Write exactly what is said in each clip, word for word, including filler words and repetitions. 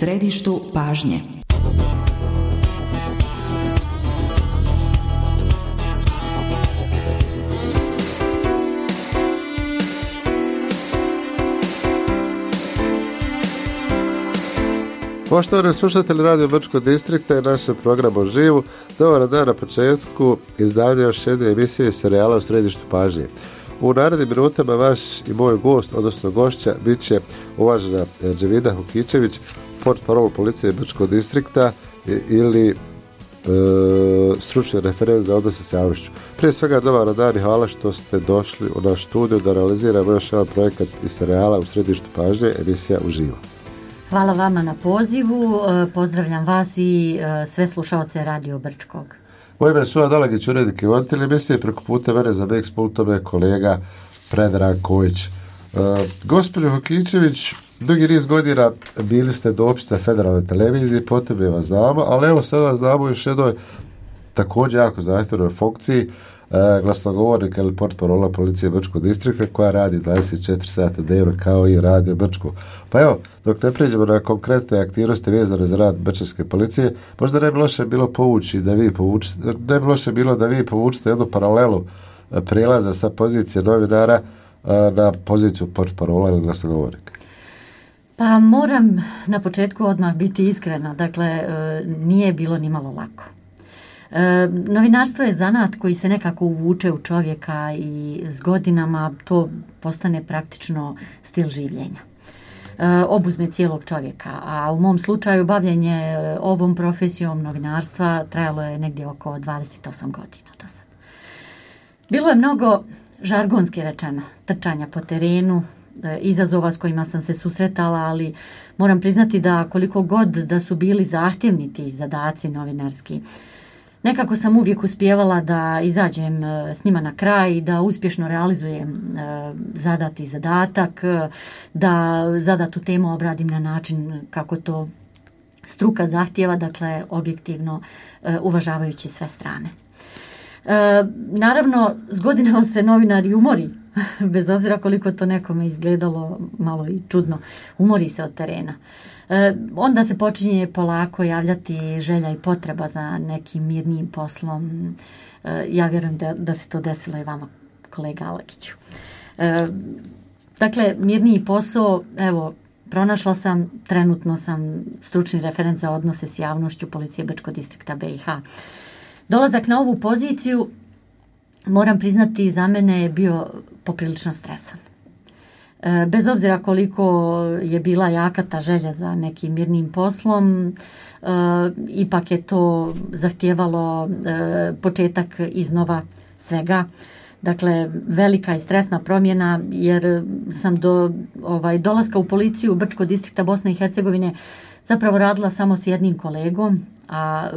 središtu pažnje. Poštovani slušatelji Radio Brčkog distrikta i našem programu Živu, dobar dan na početku izdanja još jedne emisije serijala u središtu pažnje. U narednim minutama vaš i moj gost, odnosno gošća, bit će uvažena Dževida Hukičević, portparol policije Brčkog distrikta ili e, stručni referent za odnose s javnošću. Prije svega dobar dan i hvala što ste došli u naš studiju da realiziramo još jedan projekat iz serijala u središtu pažnje, emisija Uživo. Hvala vama na pozivu, pozdravljam vas i sve slušaoce Radio Brčkog. Moje ime je Suad Alagić, urednik i voditelj emisije, preko puta mene za Mix Pultome kolega Predrag Kojić. E, Gospođo Hukičević, dugi niz godina bili ste dopisna federalne televizije, potom je vas znamo, ali evo sad vas znamo još jednoj također jako zahtjevnoj funkciji, e, glasnogovornika ili portparola policije Brčkog distrikta koja radi dvadeset četiri sata dnevno kao i Radio Brčko. Pa evo, dok ne pređemo na konkretne aktivnosti vezane za rad Brčanske policije, možda ne bi loše bilo povući da vi povučite, ne bi loše bilo da vi povučite jednu paralelu prijelaza sa pozicije novinara na poziciju portparola ili glasnogovornika. Pa moram na početku odmah biti iskrena, dakle nije bilo ni malo lako. E, novinarstvo je zanat koji se nekako uvuče u čovjeka i s godinama to postane praktično stil življenja. E, obuzme cijelog čovjeka, a u mom slučaju bavljenje ovom profesijom novinarstva trajalo je negdje oko dvadeset osam godina do sad. Bilo je mnogo, žargonski rečeno, trčanja po terenu, e, izazova s kojima sam se susretala, ali moram priznati da koliko god da su bili zahtjevni ti zadaci novinarski, nekako sam uvijek uspijevala da izađem s njima na kraj i da uspješno realizujem zadati zadatak, da zadatu temu obradim na način kako to struka zahtjeva, dakle objektivno uvažavajući sve strane. Naravno, s godinama se novinar i umori, bez obzira koliko to nekome izgledalo malo i čudno, umori se od terena. E, onda se počinje polako javljati želja i potreba za nekim mirnijim poslom. E, ja vjerujem da, da se to desilo i vama, kolega Alagiću. E, dakle, mirniji posao, evo, pronašla sam, trenutno sam stručni referent za odnose s javnošću policije Brčkog distrikta B i H. Dolazak na ovu poziciju, moram priznati, za mene je bio poprilično stresan. Bez obzira koliko je bila jaka ta želja za nekim mirnim poslom, e, ipak je to zahtijevalo e, početak iznova svega. Dakle, velika i stresna promjena jer sam do ovaj, dolaska u policiju Brčkog distrikta Bosne i Hercegovine zapravo radila samo s jednim kolegom, a e,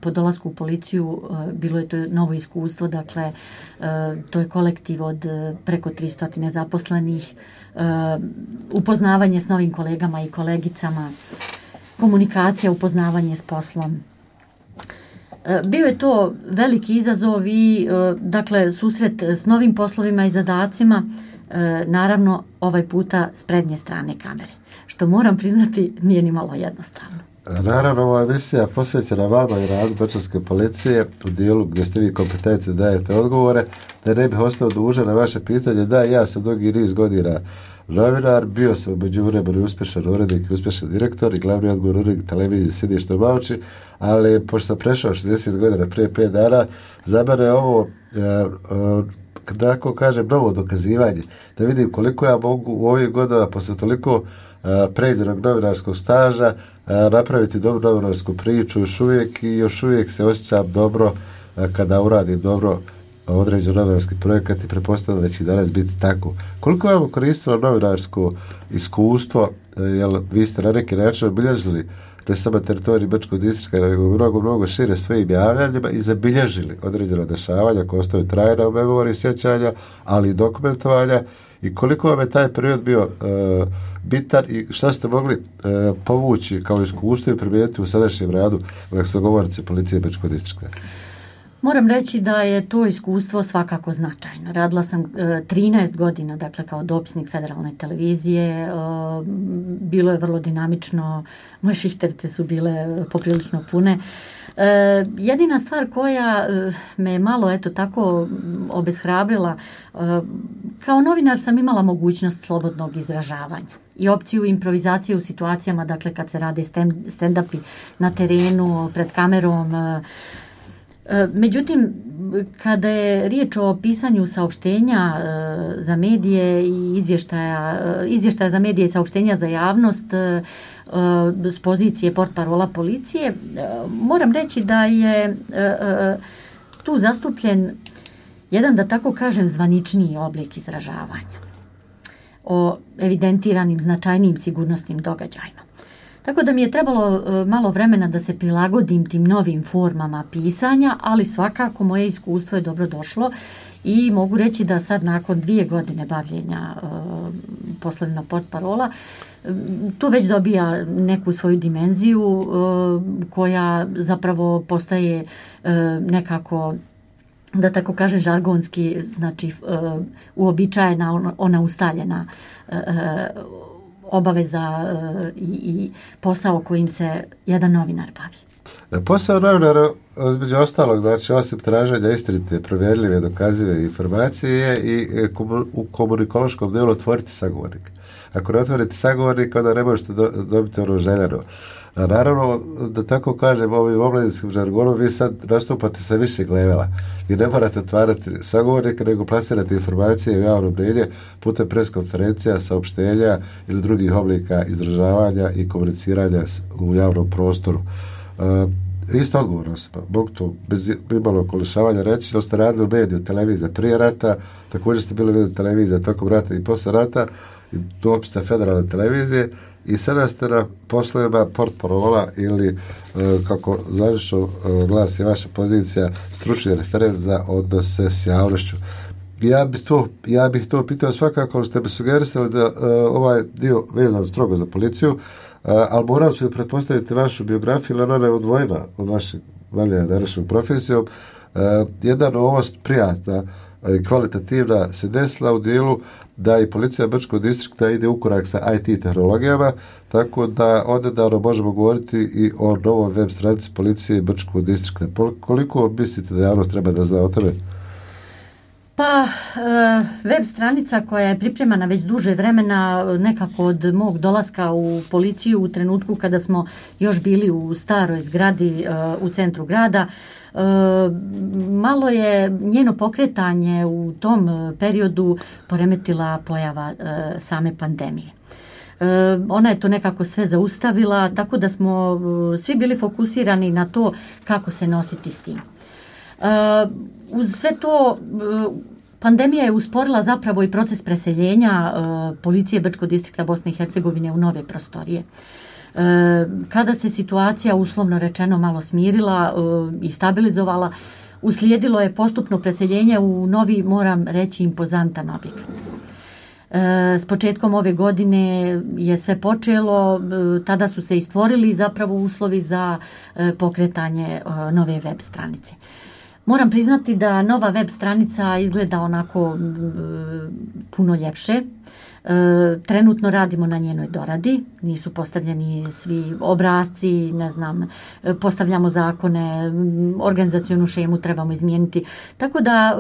po dolasku u policiju e, bilo je to novo iskustvo, dakle e, to je kolektiv od e, preko tristo zaposlenih, e, upoznavanje s novim kolegama i kolegicama, komunikacija, upoznavanje s poslom. E, bio je to veliki izazov i e, dakle susret s novim poslovima i zadacima, e, naravno ovaj puta s prednje strane kamere, što moram priznati nije ni malo jednostavno. Naravno, ova emisija posvećena vama i radu Brčanske policije u dijelu gdje ste vi kompetentni dajete odgovore, da ne bih ostao dužan na vaše pitanje. Da, ja sam dugi niz godina novinar, bio sam u međuvremenu uspješan urednik i uspješan direktor i glavni odgovorni urednik televizije Sjedište u Mauči, ali pošto sam prešao šezdeset godina prije pet dana, za mene je ovo e, e, tako kažem novo dokazivanje, da vidim koliko ja mogu u ovih godina posle toliko pređenog novinarskog staža napraviti dobru novinarsku priču još uvijek i još uvijek se osjećam dobro kada uradim dobro određen novinarski projekat i pretpostavljam da će danas biti tako. Koliko vam koristilo novinarsko iskustvo, jer vi ste na neki način obilježili ne samo teritorij Brčkog distrikta, nego mnogo, mnogo šire svojim javljanjima i zabilježili određena dešavanja koja ostaju trajna u memoriji sjećanja, ali i dokumentovanja. I koliko vam je taj period bio uh, bitan i šta ste mogli uh, povući kao iskustvo i primijeniti u sadašnjem radu glasnogovornice policije Brčkog distrikta? Moram reći da je to iskustvo svakako značajno. Radila sam trinaest godina, dakle, kao dopisnik Federalne televizije. Bilo je vrlo dinamično, moje šihterice su bile poprilično pune. Jedina stvar koja me malo, eto, tako obeshrabrila, kao novinar sam imala mogućnost slobodnog izražavanja i opciju improvizacije u situacijama, dakle, kad se rade stand-upi na terenu, pred kamerom. Međutim, kada je riječ o pisanju saopštenja za medije i izvještaja, izvještaja za medije i saopštenja za javnost s pozicije portparola policije, moram reći da je tu zastupljen jedan, da tako kažem, zvaničniji oblik izražavanja o evidentiranim značajnijim sigurnosnim događajima. Tako da mi je trebalo malo vremena da se prilagodim tim novim formama pisanja, ali svakako moje iskustvo je dobro došlo i mogu reći da sad nakon dvije godine bavljenja uh, poslovima portparola to već dobija neku svoju dimenziju uh, koja zapravo postaje uh, nekako, da tako kažem, žargonski, znači uh, uobičajena, ona, ona ustaljena uh, obaveza uh, i, i posao kojim se jedan novinar bavi. Posao novinara, između ostalog, znači osim traženja istinite, provjerljive, dokazive informacije i u komunikološkom delu otvoriti sagovornik. Ako ne otvorite sagovornik, onda ne možete do, dobiti ono željeno. A naravno, da tako kažem, ovim omladinskim žargonom vi sad nastupate sa više levela. Vi ne morate otvarati sagovornika, nego plasirati informacije u javnom mnjenju putem preskonferencija, saopštenja ili drugih oblika izražavanja i komuniciranja u javnom prostoru. Uh, vi ste odgovorna osoba, mogu to bez imalo okolišavanja reći, da ste radili u mediju, televizija prije rata, također ste bili mediju televizija tokom rata i posle rata, i dopisna Federalne televizije, i sada ste na poslovima portparola ili, uh, kako zvanično uh, glasi vaša pozicija, stručni referent za odnose s javnošću. Ja bih to, ja bih to pitao svakako, ste bi sugerisali da uh, ovaj dio vezan strogo za policiju, uh, ali moram ću da pretpostaviti vašu biografiju, ali ona je odvojena od vašeg bavljenja današnjom profesijom. Uh, jedna novost prijatna i kvalitativna se desila u dijelu da i policija Brčkog distrikta ide u korak sa I T tehnologijama, tako da odnedavno možemo govoriti i o novoj web stranici policije Brčkog distrikta. Koliko mislite da javnost treba da zna o tome? Pa, web stranica koja je pripremana već duže vremena, nekako od mog dolaska u policiju u trenutku kada smo još bili u staroj zgradi u centru grada, malo je njeno pokretanje u tom periodu poremetila pojava same pandemije. Ona je to nekako sve zaustavila, tako da smo svi bili fokusirani na to kako se nositi s tim. Uz sve to, pandemija je usporila zapravo i proces preseljenja policije Brčkog distrikta Bosne i Hercegovine u nove prostorije. Kada se situacija, uslovno rečeno, malo smirila i stabilizovala, uslijedilo je postupno preseljenje u novi, moram reći, impozantan objekat. S početkom ove godine je sve počelo, tada su se i stvorili zapravo uslovi za pokretanje nove web stranice. Moram priznati da nova web stranica izgleda onako puno ljepše. Trenutno radimo na njenoj doradi, nisu postavljeni svi obrasci, ne znam, postavljamo zakone, organizacionu šemu trebamo izmijeniti, tako da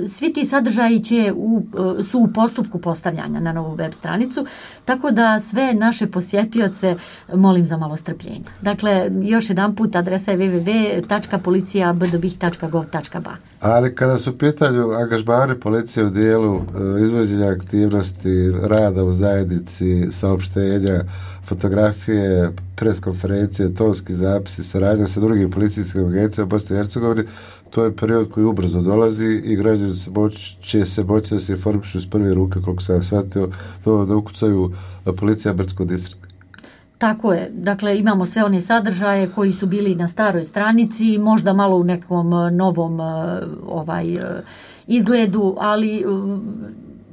svi ti sadržaji će u, su u postupku postavljanja na novu web stranicu, tako da sve naše posjetioce molim za malo strpljenja. Dakle, još jedan put adresa je w w w tačka policija b d b i h tačka gov tačka b a. Ali kada su pitanju angažmane policije u dijelu izvođenja aktivnosti, rada u zajednici, saopštenja, fotografije, preskonferencije, tonski zapisi, saradnja sa drugim policijskim agencijama Bosne i Hercegovine, to je period koji ubrzo dolazi i građani se moći, će se moći da se informišu iz prve ruke, koliko sam shvatio, to da ukucaju policija Brčkog distrikta. Tako je. Dakle, imamo sve one sadržaje koji su bili na staroj stranici, možda malo u nekom novom ovaj izgledu, ali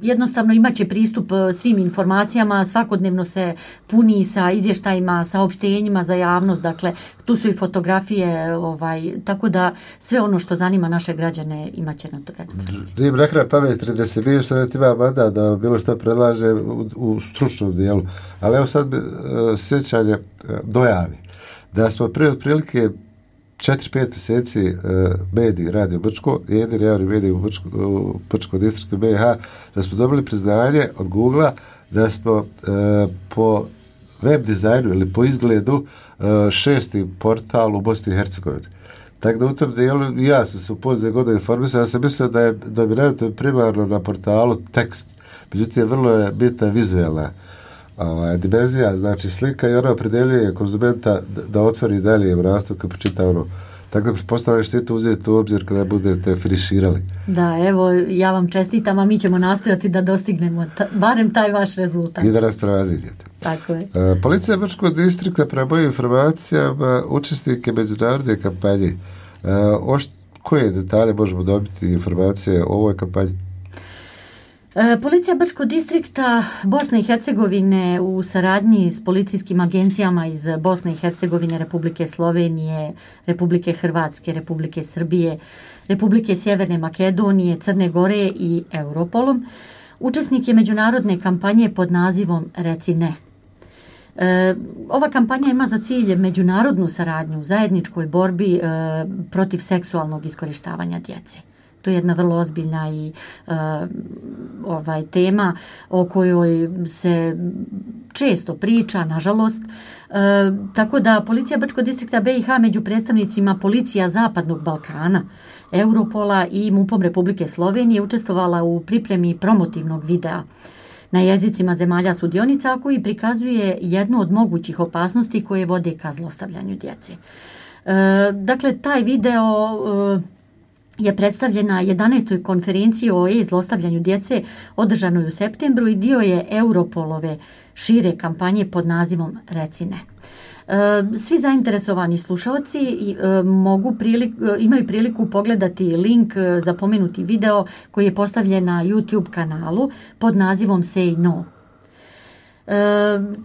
jednostavno imat će pristup svim informacijama, svakodnevno se puni sa izvještajima, saopštenjima za javnost, dakle tu su i fotografije, ovaj, tako da sve ono što zanima naše građane imat će na toj web stranici. Nije mi rekla pametri da se vidiš da ti ima mandat da bilo što predlaže u, u stručnom dijelu, ali evo sad uh, sjećanje uh, dojavi da smo prije otprilike četiri pet mjeseci uh, mediji Radio Brčko, jedini javni mediji u Brčko, u Brčko distriktu B i H, da smo dobili priznanje od Googlea da smo uh, po web dizajnu ili po izgledu uh, šesti portal u Bosni i Hercegovini. Tako da u tom dijelu ja sam se u pozdje godine informisao, ja sam mislio da je dominantno primarno na portalu tekst, međutim vrlo je bitna vizualna ovaj, dimenzija, znači slika i ona opredeljuje konzumenta da, da otvori dalje u nastavku i počita ono. Tako da pretpostavljam što to uzeti u obzir kada budete finiširali. Da, evo, ja vam čestitam, a mi ćemo nastojati da dostignemo ta, barem taj vaš rezultat. I da nas prevaziđete. Tako je. Uh, Policija Brčkog distrikta prema mojim informacijama učesnike međunarodne kampanje. Uh, ošt, koje detalje možemo dobiti informacije o ovoj kampanji? Policija Brčkog distrikta Bosne i Hercegovine u saradnji s policijskim agencijama iz Bosne i Hercegovine, Republike Slovenije, Republike Hrvatske, Republike Srbije, Republike Sjeverne Makedonije, Crne Gore i Europolom učesnik je međunarodne kampanje pod nazivom Reci ne. E, ova kampanja ima za cilj međunarodnu saradnju u zajedničkoj borbi e, protiv seksualnog iskorištavanja djece. To je jedna vrlo ozbiljna i uh, ovaj tema o kojoj se često priča, nažalost. Uh, tako da Policija Brčkog distrikta B i H među predstavnicima Policija Zapadnog Balkana, Europola i MUP-om Republike Slovenije učestvovala u pripremi promotivnog videa na jezicima zemalja sudionica koji prikazuje jednu od mogućih opasnosti koje vode ka zlostavljanju djece. Uh, dakle, taj video uh, je predstavljena jedanaestoj konferenciji o e-zlostavljanju djece održanoj u septembru i dio je Europolove šire kampanje pod nazivom Reci ne. Svi zainteresovani slušalci mogu prilik, imaju priliku pogledati link za pomenuti video koji je postavljen na YouTube kanalu pod nazivom Say No. E,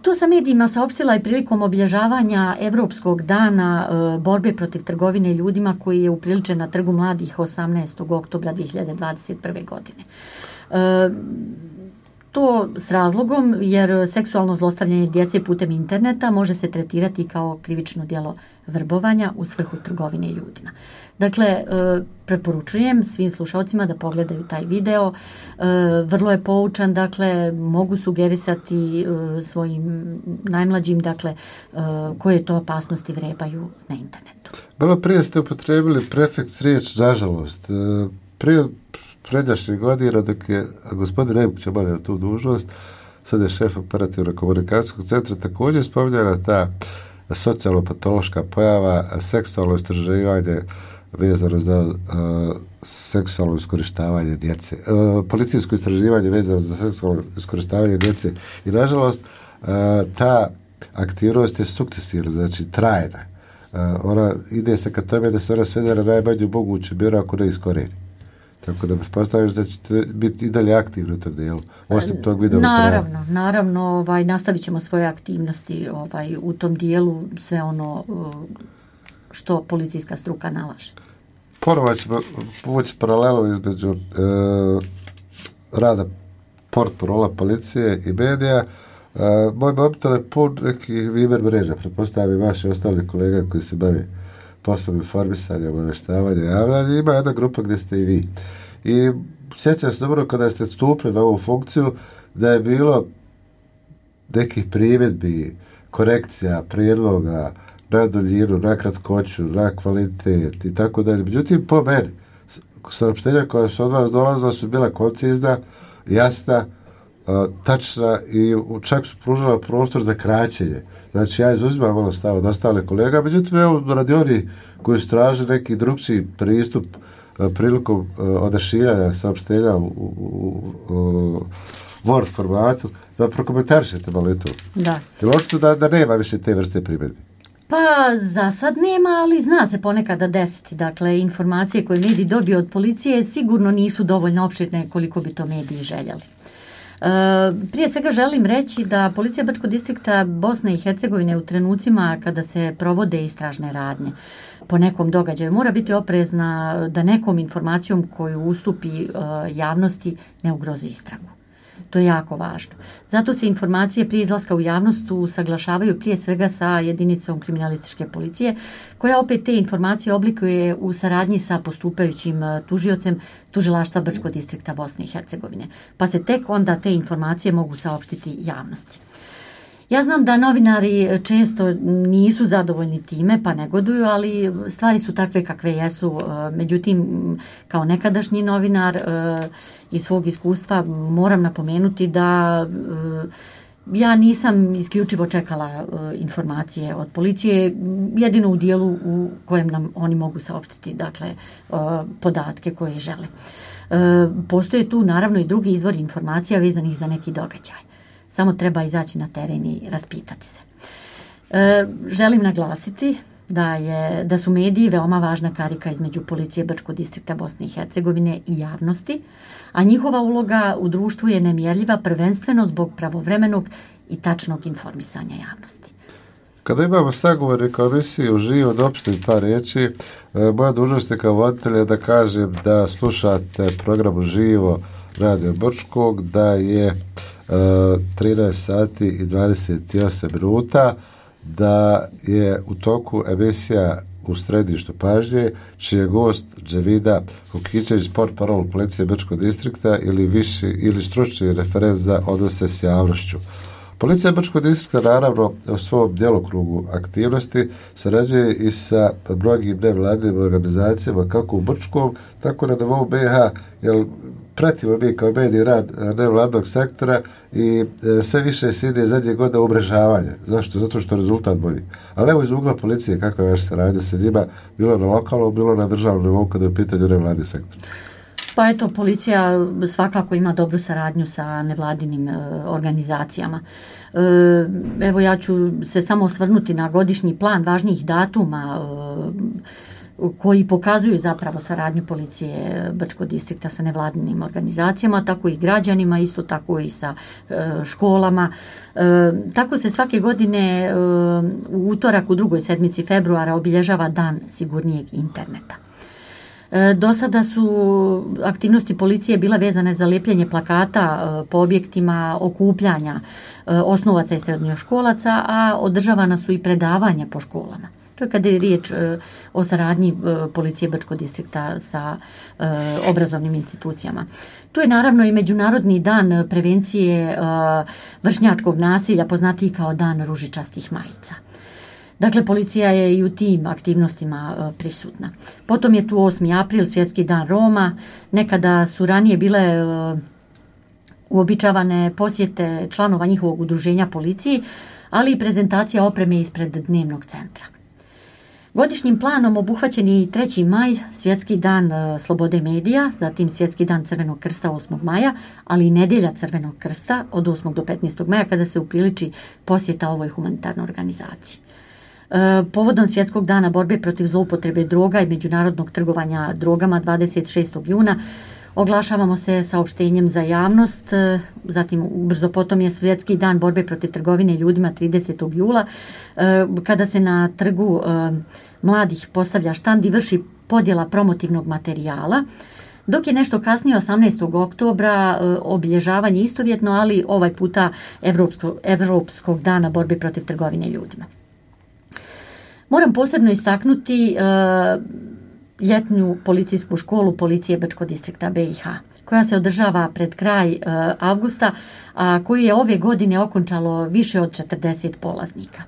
to sa medijima saopštila i prilikom obilježavanja Evropskog dana e, borbe protiv trgovine ljudima koji je upriličen na Trgu mladih osamnaestog oktobra dvije hiljade dvadeset prve. godine. E, to s razlogom jer seksualno zlostavljanje djece putem interneta može se tretirati kao krivično djelo vrbovanja u svrhu trgovine ljudima. Dakle, e, preporučujem svim slušalcima da pogledaju taj video. E, vrlo je poučan, dakle, mogu sugerisati e, svojim najmlađim, dakle, e, koje to opasnosti vrebaju na internetu. Malo prije ste upotrebili prefeks riječ nažalost. E, prije pređašnjih godina dok je gospodin Nemkić obavljao tu dužnost, sad je šef operativno komunikacijskog centra, također spominjala ta socijalno-patološka pojava, seksualno istraživanje vezano za uh, seksualno iskorištavanje djece. Uh, policijsko istraživanje vezano za seksualno iskorištavanje djece. I nažalost, uh, ta aktivnost je sukcesivna, znači trajna. Uh, ona ide se ka tome da se ona svede na najmanju moguću mjeru ako ne iskoreni. Tako da pretpostavljaš da ćete biti i dalje aktivni u tom dijelu, osim tog videa. Naravno, naravno, ovaj, nastavit ćemo svoje aktivnosti ovaj, u tom dijelu, sve ono što policijska struka nalaže. Ponovo ćemo povući paralelu između e, rada portparola policije i medija. E, moj mobitel je pun nekih Viber mreža, pretpostavljam i vaši ostali kolega koji se bavi poslom informisanja, obaveštavanja, javljanja. Ima jedna grupa gdje ste i vi. I sjećam se dobro kada ste stupili na ovu funkciju da je bilo nekih primjedbi, korekcija, prijedloga na duljinu, na kratkoću, na kvalitet i tako dalje. Međutim, po meni, saopštenja koja su od vas dolazila su bila koncizna, jasna, tačna i čak su pružala prostor za kraćenje. Znači, ja izuzimam ono stav od ostale kolega, međutim, evo, radi oni koji su traže neki drugčiji pristup prilikom odašiljanja saopštenja u, u, u Word formatu, da prokomentarišete malo i to. Da. Jer očito da, da nema više te vrste primjedbi. Pa za sad nema, ali zna se ponekada desiti. Dakle, informacije koje mediji dobiju od policije sigurno nisu dovoljno opširne koliko bi to mediji željeli. E, prije svega želim reći da policija Brčkog distrikta Bosne i Hercegovine u trenucima kada se provode istražne radnje po nekom događaju mora biti oprezna da nekom informacijom koju ustupi e, javnosti ne ugrozi istragu. To je jako važno. Zato se informacije prije izlaska u javnost usaglašavaju prije svega sa jedinicom kriminalističke policije, koja opet te informacije oblikuje u saradnji sa postupajućim tužiocem tužilaštva Brčkog distrikta Bosne i Hercegovine. Pa se tek onda te informacije mogu saopštiti javnosti. Ja znam da novinari često nisu zadovoljni time pa negoduju, ali stvari su takve kakve jesu. Međutim, kao nekadašnji novinar iz svog iskustva moram napomenuti da ja nisam isključivo čekala informacije od policije, jedino u dijelu u kojem nam oni mogu saopštiti, dakle, podatke koje žele. Postoje tu naravno i drugi izvori informacija vezanih za neki događaj. Samo treba izaći na teren i raspitati se. E, želim naglasiti da, je, da su mediji veoma važna karika između policije Brčkog distrikta Bosne i Hercegovine i javnosti, a njihova uloga u društvu je nemjerljiva prvenstveno zbog pravovremenog i tačnog informisanja javnosti. Kada imamo sagovornika u emisiji uživo da opštim par riječi, moja dužnost je kao voditelja da kažem da slušate program uživo Radio Brčkog, da je trinaest sati i dvadeset osam minuta, da je u toku emisija U središtu pažnje, čiji je gost Dževida Hukićević, portparol policije Brčkog distrikta ili viši ili stručni referent za odnose s javnošću. Policija Brčkog distrikta naravno u svom djelokrugu aktivnosti sarađuje i sa mnogim nevladinim organizacijama kako u Brčkom, tako na nivou B iH, jer pratimo mi kao mediji rad nevladnog sektora i e, sve više se ide zadnje godine umrežavanje. Zašto? Zato što rezultat bolji. Ali evo iz ugla policije kakva je vaša saradnja sa njima, bilo na lokalnom, bilo na državnom nivou kada je u pitanju nevladni sektor. Pa eto, policija svakako ima dobru saradnju sa nevladinim e, organizacijama. E, evo ja ću se samo osvrnuti na godišnji plan važnijih datuma e, koji pokazuju zapravo saradnju policije Brčkog distrikta sa nevladinim organizacijama, tako i građanima, isto tako i sa e, školama. E, tako se svake godine e, u utorak u drugoj sedmici februara obilježava Dan sigurnijeg interneta. Do sada su aktivnosti policije bile vezane za lepljenje plakata po objektima okupljanja osnovaca i srednjoškolaca, a održavana su i predavanja po školama. To je kada je riječ o saradnji policije Brčkog distrikta sa obrazovnim institucijama. Tu je naravno i Međunarodni dan prevencije vršnjačkog nasilja, poznatiji kao Dan ružičastih majica. Dakle, policija je i u tim aktivnostima prisutna. Potom je tu osmi april, Svjetski dan Roma. Nekada su ranije bile uobičavane posjete članova njihovog udruženja policiji, ali i prezentacija opreme ispred dnevnog centra. Godišnjim planom obuhvaćen je i treći maj, Svjetski dan slobode medija, zatim Svjetski dan Crvenog krsta osmog maja, ali i nedjelja Crvenog krsta od osmog do petnaestog maja kada se upriliči posjeta ovoj humanitarnoj organizaciji. Povodom Svjetskog dana borbe protiv zloupotrebe droga i međunarodnog trgovanja drogama dvadeset šestog juna oglašavamo se saopštenjem za javnost, zatim brzo potom je Svjetski dan borbe protiv trgovine ljudima tridesetog jula, kada se na trgu mladih postavlja štand i vrši podjela promotivnog materijala, dok je nešto kasnije osamnaestog oktobra obilježavanje istovjetno, ali ovaj puta Evropsko, Evropskog dana borbe protiv trgovine ljudima. Moram posebno istaknuti uh, ljetnu policijsku školu policije Brčkog distrikta B iH, koja se održava pred kraj uh, avgusta, a koju je ove godine okončalo više od četrdeset polaznika.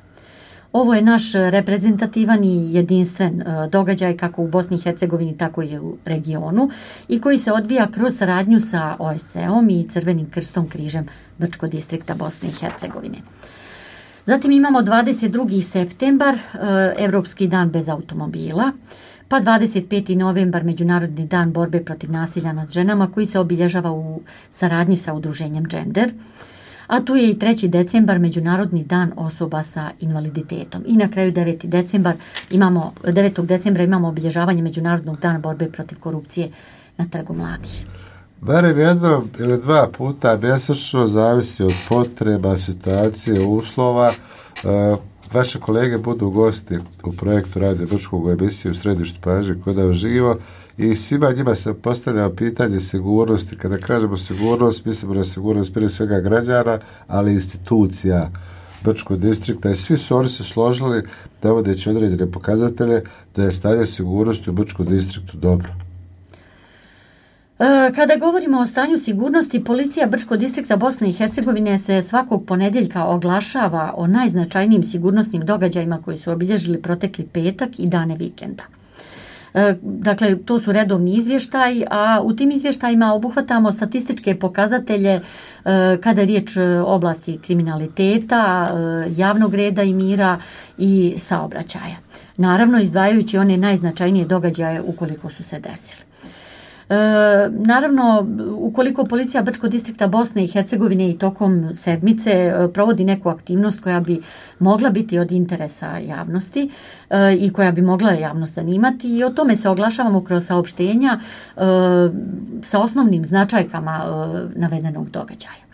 Ovo je naš reprezentativan i jedinstven uh, događaj kako u Bosni i Hercegovini, tako i u regionu i koji se odvija kroz saradnju sa O S C-om i Crvenim krstom križem Brčkog distrikta Bosne i Hercegovine. Zatim imamo dvadeset drugi septembar, Evropski dan bez automobila, pa dvadeset peti novembar, Međunarodni dan borbe protiv nasilja nad ženama koji se obilježava u saradnji sa udruženjem Gender. A tu je i treći decembar, Međunarodni dan osoba sa invaliditetom. I na kraju deveti decembar imamo, devetog decembra imamo obilježavanje Međunarodnog dana borbe protiv korupcije na Trgu mladih. Barem jedno ili dva puta mjesečno, zavisi od potreba, situacije, uslova. Uh, vaše kolege budu gosti u projektu Radio Brčkog u emisiji u središtu pažnje kod nas živo i svima njima se postavlja pitanje sigurnosti. Kada kažemo sigurnost, mislimo na sigurnost prije svega građana, ali i institucija Brčkog distrikta i svi su oni se složili navodeći određene pokazatelje da je stanje sigurnosti u Brčkom distriktu dobro. Kada govorimo o stanju sigurnosti, policija Brčkog distrikta Bosne i Hercegovine se svakog ponedjeljka oglašava o najznačajnijim sigurnosnim događajima koji su obilježili protekli petak i dane vikenda. Dakle, to su redovni izvještaj, a u tim izvještajima obuhvatamo statističke pokazatelje kada je riječ o oblasti kriminaliteta, javnog reda i mira i saobraćaja. Naravno, izdvajajući one najznačajnije događaje ukoliko su se desili. E, naravno, ukoliko policija Brčkog distrikta Bosne i Hercegovine i tokom sedmice e, provodi neku aktivnost koja bi mogla biti od interesa javnosti e, i koja bi mogla javnost zanimati, i o tome se oglašavamo kroz saopštenja e, sa osnovnim značajkama e, navedenog događaja.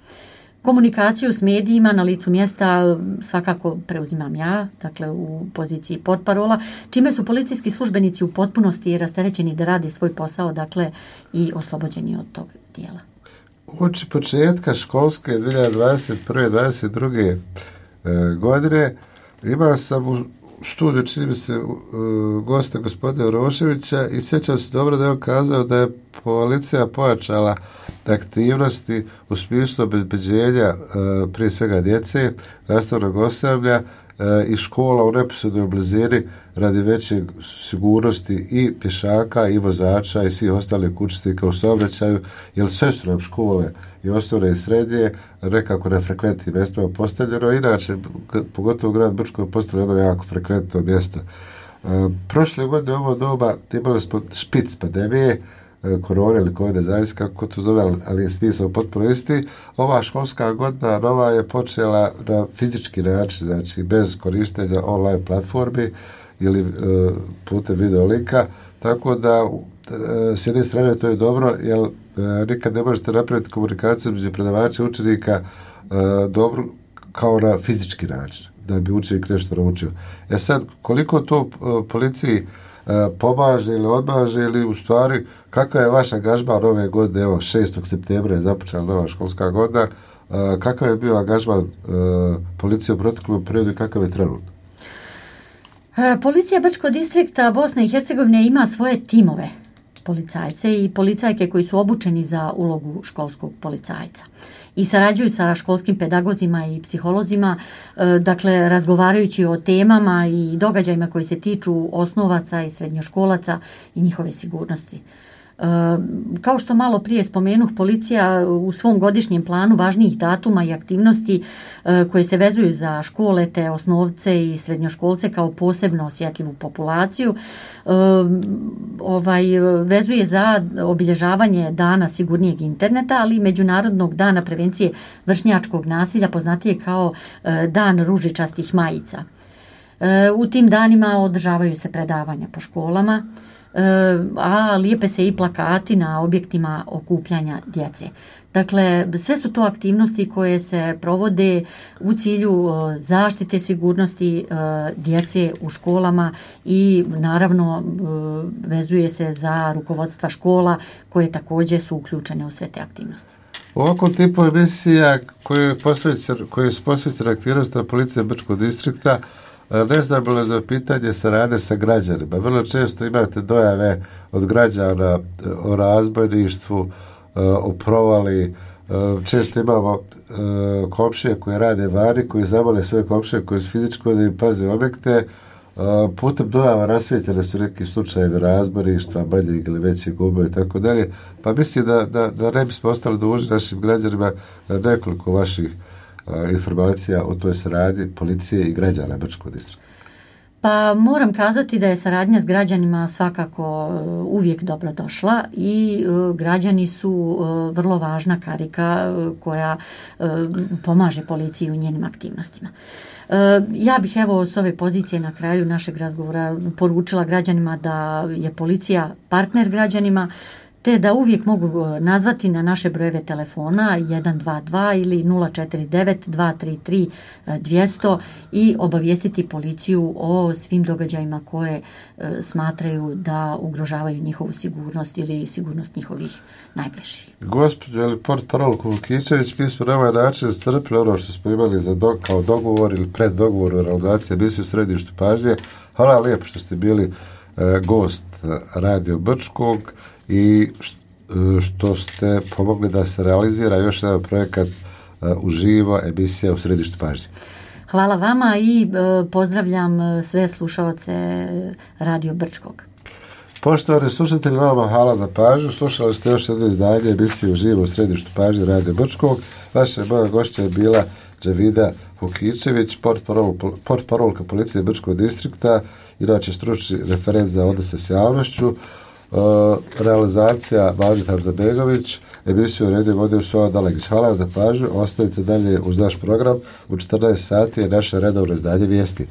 Komunikaciju s medijima na licu mjesta svakako preuzimam ja, dakle u poziciji portparola, čime su policijski službenici u potpunosti rasterećeni da rade svoj posao, dakle i oslobođeni od tog dijela. Uoči početka školske dvije hiljade dvadeset prve dvadeset druge E, godine imao sam u studiju, čini mi se, uh, gosta gospodina Uroševića i sjećam se dobro da je on kazao da je policija pojačala aktivnosti u smislu obezbeđenja uh, prije svega djece, nastavnog osoblja uh, i škola u neposrednoj blizini radi veće sigurnosti i pješaka i vozača i svih ostalih učesnika u saobraćaju, jer sve su nam škole i osnovne i srednje nekako na frekventnim mjestima postavljeno. Inače, pogotovo grad Brčko je postavljeno jedno jako frekventno mjesto. E, prošle godine u ovo doba imali smo špic pandemije, e, korone ili covid, zavisi kako to zove, ali je smisao potpuno isti. Ova školska godina nova je počela na fizički način, znači bez korištenja online platformi ili e, putem video linka, tako da e, s jedne strane to je dobro, jer e, nikad ne možete napraviti komunikaciju među predavača i učenika e, dobro kao na fizički način, da bi učenik nešto naučio. E sad, koliko to e, policiji e, pomaže ili odmaže, ili u stvari kakav je vaš angažman ove godine, evo šestog septembra je započela nova školska godina, e, kakav je bio angažman e, policije u proteklom periodu i kakav je trenutno? Policija Brčkog distrikta Bosne i Hercegovine ima svoje timove policajce i policajke koji su obučeni za ulogu školskog policajca i sarađuju sa školskim pedagozima i psiholozima, dakle razgovarajući o temama i događajima koji se tiču osnovaca i srednjoškolaca i njihove sigurnosti. Kao što malo prije spomenuh, policija u svom godišnjem planu važnijih datuma i aktivnosti koje se vezuju za škole te osnovce i srednjoškolce kao posebno osjetljivu populaciju ovaj, vezuje za obilježavanje dana sigurnijeg interneta, ali i Međunarodnog dana prevencije vršnjačkog nasilja, poznatije kao dan ružičastih majica. U tim danima održavaju se predavanja po školama, a lijepe se i plakati na objektima okupljanja djece. Dakle, sve su to aktivnosti koje se provode u cilju zaštite sigurnosti djece u školama i naravno vezuje se za rukovodstva škola koje također su uključene u sve te aktivnosti. Ovako tipu emisija koje, koje su posvećene aktivnostima policije Brčkog distrikta, ne znam bilo za pitanje saradnje sa građanima. Vrlo često imate dojave od građana o razbojništvu, o provali. Često imamo komšije koje rade vani, koji zamole svoje komšije koji su fizičko da im paze objekte. Putem dojava rasvijetljene su neki slučajevi razbojništva, manjeg ili većeg guba i tako dalje. Pa mislim da, da, da ne bismo ostali dužni našim građanima nekoliko vaših informacija o toj saradnji policije i građana Brčkog distrikta. Pa moram kazati da je saradnja s građanima svakako uvijek dobro došla i građani su vrlo važna karika koja pomaže policiji u njenim aktivnostima. Ja bih evo s ove pozicije na kraju našeg razgovora poručila građanima da je policija partner građanima, te da uvijek mogu nazvati na naše brojeve telefona jedan dva dva ili nula četiri devet dva tri tri dvjesto i obavijestiti policiju o svim događajima koje smatraju da ugrožavaju njihovu sigurnost ili sigurnost njihovih najbližih. Gospođo, ili portparolko Vukičević, mi smo na ovaj način iscrpili ono što smo imali za do, kao dogovor ili preddogovor u realizaciji emisije u središtu pažnje. Hvala lijepo što ste bili e, gost Radio Brčkog i što ste pomogli da se realizira još jedan projekat uživo emisija u središtu pažnje. Hvala vama i pozdravljam sve slušalce Radio Brčkog. Poštovani slušatelji, vama hvala za pažnju. Slušali ste još jedno izdanje emisije uživo u središtu pažnje Radio Brčkog. Vaša moja gošća je bila Đevida Vukičević, portparolka policije Brčkog distrikta, inače stručni referent za odnose s javnošću. Uh, realizacija Važit Hamzabegović, emisiju redio vodio Sova Dalegić. Hvala za pažnju, ostavite dalje uz naš program, u četrnaest sati je naše redovno izdanje vijesti.